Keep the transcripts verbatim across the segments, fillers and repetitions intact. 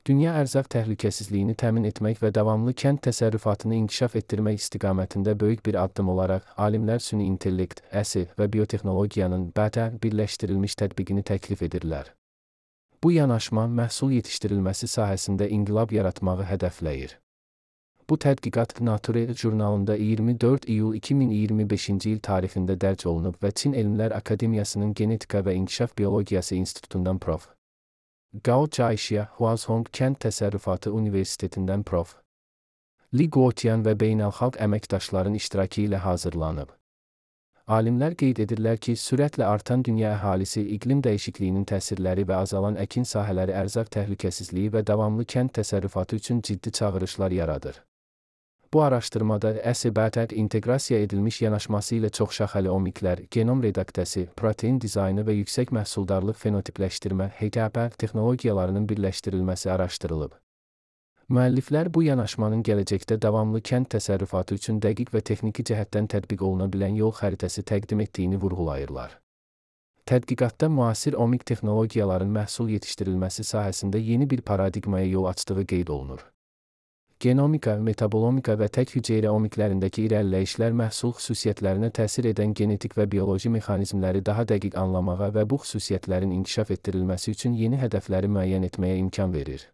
Dünya ərzaq təhlükəsizliyini təmin etmək və davamlı kənd təsərrüfatını inkişaf etdirmək istiqamətində böyük bir addım olaraq, alimlər süni intellekt, ə s və biotexnologiyanın bətər birləşdirilmiş tətbiqini təklif edirlər. Bu yanaşma məhsul yetişdirilməsi sahəsində inqilab yaratmağı hədəfləyir. Bu tədqiqat Nature jurnalında iyirmi dörd iyul iki min iyirmi beşinci il tarixində dərc olunub və Çin Elmlər Akademiyasının Genetika və İnkişaf Biologiyası İnstitutundan prof. Gao Caixia, Huazhong Kənd Təsərrüfatı Universitetindən prof. Li Guotian və beynəlxalq əməkdaşların iştirakı ilə hazırlanıb. Alimlər qeyd edirlər ki, sürətlə artan dünya əhalisi, iqlim dəyişikliyinin təsirləri və azalan əkin sahələri ərzaq təhlükəsizliyi və davamlı kənd təsərrüfatı üçün ciddi çağırışlar yaradır. Bu araşdırmada ə s bətər inteqrasiya edilmiş yanaşması ilə çoxşaxəli omiklər, genom redaktəsi, protein dizaynı və yüksək məhsuldarlıq fenotipləşdirmə (H T P) texnologiyalarının birləşdirilməsi araşdırılıb. Müəlliflər bu yanaşmanın gələcəkdə davamlı kənd təsərrüfatı üçün dəqiq və texniki cəhətdən tətbiq oluna bilən yol xəritəsi təqdim etdiyini vurğulayırlar. Tədqiqatda müasir omik texnologiyaların məhsul yetişdirilməsi sahəsində yeni bir paradigmaya yol açdığı qeyd olunur. Genomika, metabolomika və tək hüceyrə omiklərindəki irəliləyişlər məhsul xüsusiyyətlərinə təsir edən genetik və bioloji mexanizmləri daha dəqiq anlamağa və bu xüsusiyyətlərin inkişaf etdirilməsi üçün yeni hədəfləri müəyyən etməyə imkan verir.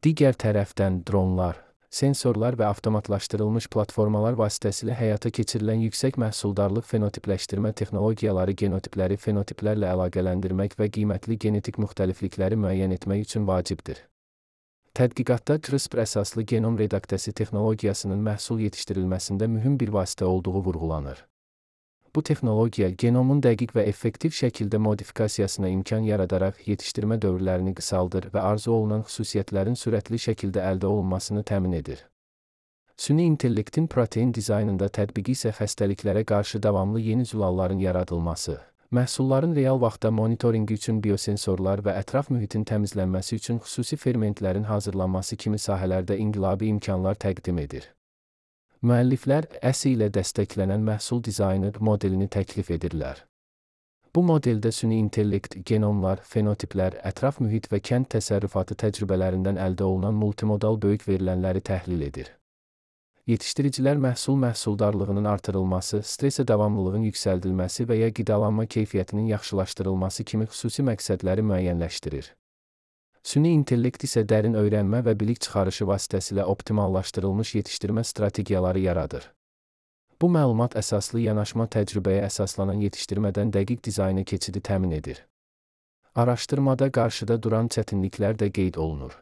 Digər tərəfdən, dronlar, sensorlar və avtomatlaşdırılmış platformalar vasitəsilə həyata keçirilən yüksək məhsuldarlıq fenotipləşdirmə texnologiyaları genotipləri fenotiplərlə əlaqələndirmək və qiymətli genetik müxtəliflikləri müəyyən etmək üçün vacibdir. Tədqiqatda CRISPR əsaslı genom redaktəsi texnologiyasının məhsul yetişdirilməsində mühüm bir vasitə olduğu vurğulanır. Bu texnologiya genomun dəqiq və effektiv şəkildə modifikasiyasına imkan yaradaraq yetişdirmə dövrlərini qısaldır və arzu olunan xüsusiyyətlərin sürətli şəkildə əldə olunmasını təmin edir. Süni intellektin protein dizaynında tətbiqi isə xəstəliklərə qarşı davamlı yeni zülalların yaradılması, məhsulların real vaxtda monitorinqi üçün biosensorlar və ətraf mühitin təmizlənməsi üçün xüsusi fermentlərin hazırlanması kimi sahələrdə inqilabi imkanlar təqdim edir. Müəlliflər ə s ilə dəstəklənən məhsul dizaynı modelini təklif edirlər. Bu modeldə süni intellekt, genomlar, fenotiplər, ətraf mühit və kənd təsərrüfatı təcrübələrindən əldə olunan multimodal böyük verilənləri təhlil edir. Yetişdiricilər məhsul məhsuldarlığının artırılması, stresə davamlılığın yüksəldilməsi və ya qidalanma keyfiyyətinin yaxşılaşdırılması kimi xüsusi məqsədləri müəyyənləşdirir. Süni intellekt isə dərin öyrənmə və bilik çıxarışı vasitəsilə optimallaşdırılmış yetişdirmə strategiyaları yaradır. Bu məlumat əsaslı yanaşma təcrübəyə əsaslanan yetişdirmədən dəqiq dizayna keçidi təmin edir. Araşdırmada qarşıda duran çətinliklər də qeyd olunur.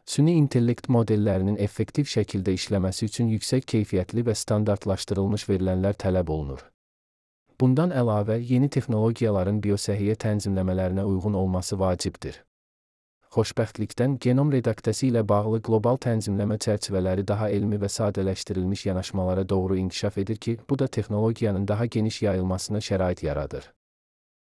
Süni intellekt modellərinin effektiv şəkildə işləməsi üçün yüksək keyfiyyətli və standartlaşdırılmış verilənlər tələb olunur. Bundan əlavə, yeni texnologiyaların biosəhiyyə tənzimləmələrinə uyğun olması vacibdir. Xoşbəxtlikdən, genom redaktəsi ilə bağlı qlobal tənzimləmə çərçivələri daha elmi və sadələşdirilmiş yanaşmalara doğru inkişaf edir ki, bu da texnologiyanın daha geniş yayılmasına şərait yaradır.